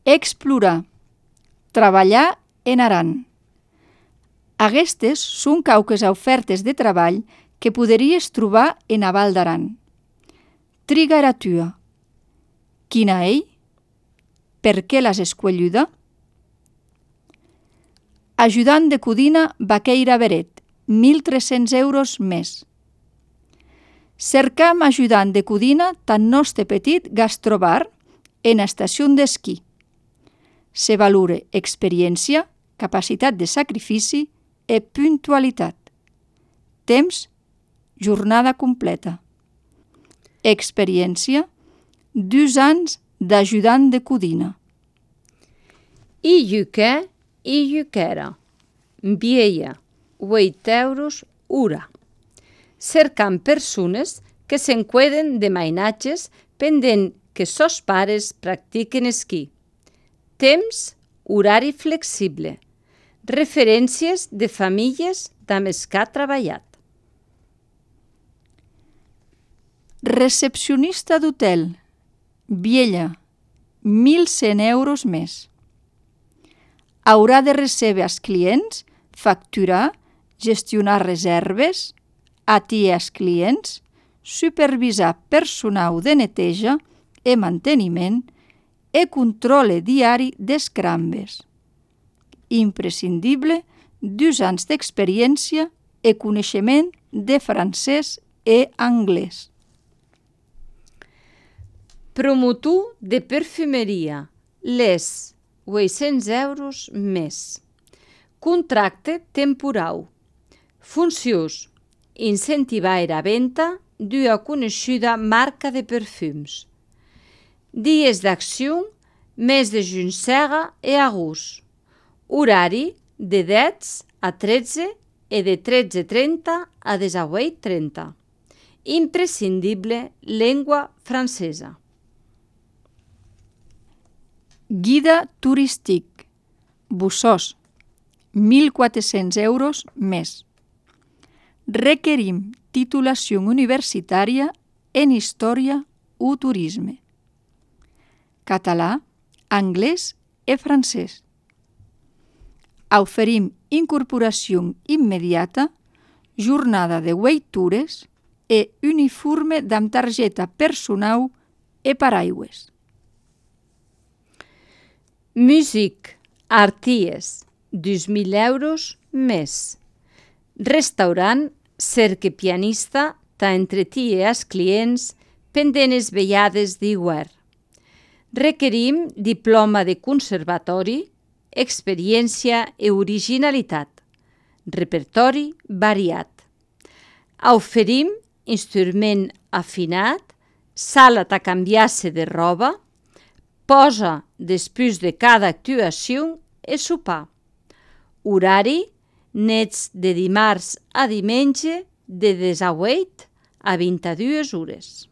Explorar, treballar en Aran. Aquestes són quauques ofertes de treball que podries trobar en a Val d'Aran. Triga era tua. Quina ei? Per què l'has escolluda? Ajudant de codina Baqueira Beret, 1.300 euros més. Cercam ajudant de codina tan nostre petit gastrobar en estació d'esquí. Se valore experiència, capacitat de sacrifici i puntualitat. Temps, jornada completa. Experiència, 2 anys d'ajudant de codina. I iuquè i iuquera. Vieia, 8 euros hora. Cercant persones que s'enqueden de mainatges pendent que sos pares practiquen esquí. Temps, horari flexible. Referències de famílies amb els que ha treballat. Recepcionista d'hotel, Viella, 1.100 euros més. Haurà de recebre als clients, facturar, gestionar reserves, atendre els clients, supervisar personal de neteja i manteniment i control diari dels crambes. Imprescindible 2 anys d'experiència i coneixement de francès i anglès. Promotor de perfumeria, les 800 euros més. Contracte temporal. Funcions: incentivar la venda d'una coneguda marca de perfums. Dies d'acció, mes de juny i agost. Horari de 10 a 13 i de 13:30 a 18:30. Imprescindible llengua francesa. Guida turístic, Bussós, 1.400 euros més. Requerim titulació universitària en història o turisme. Català, anglès i francès. Oferim incorporació immediata, jornada de 8 hores i uniforme amb targeta personal i paraigües. Músic, arties, 2.000 euros més. Restaurant, cerca pianista, t'entretie els clients pendent les vellades d'hivern. Requerim diploma de conservatori, experiència i originalitat. Repertori variat. Oferim instrument afinat, sala a canviar-se de roba, posa després de cada actuació i sopar. Horari, nits de dimarts a diumenge de 18 a 22 hores.